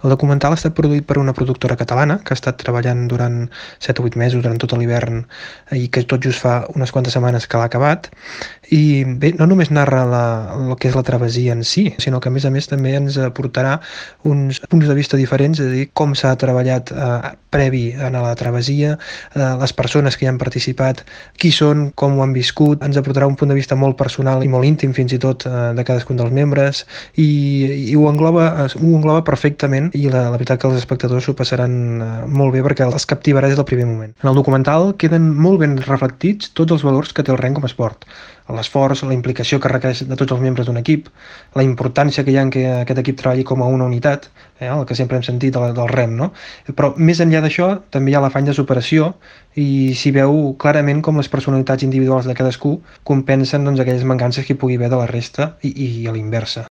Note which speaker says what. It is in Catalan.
Speaker 1: El documental ha estat produït per una productora catalana que ha estat treballant durant 7 o 8 mesos, durant tot l'hivern, i que tot just fa unes quantes setmanes que l'ha acabat. I bé, no només narra el que és la travessia en si, sinó que a més també ens aportarà uns punts de vista diferents, és a dir, com s'ha treballat previ a la travessia, les persones que hi han participat, qui són, com ho han viscut, ens aportarà un punt de vista molt personal i molt íntim fins i tot de cadascun dels membres, i ho engloba perfectament, i la veritat que els espectadors s'ho passaran molt bé perquè els captivarà des del primer moment. En el documental queden molt ben reflectits tots els valors que té el rem com a esport. L'esforç, la implicació que requereix de tots els membres d'un equip, la importància que hi ha en que aquest equip treballi com a una unitat, el que sempre hem sentit del rem, no? Però més enllà d'això també hi ha l'afany de superació i s'hi veu clarament com les personalitats individuals de cadascú compensen aquelles mancances que hi pugui haver de la resta i a l'inversa.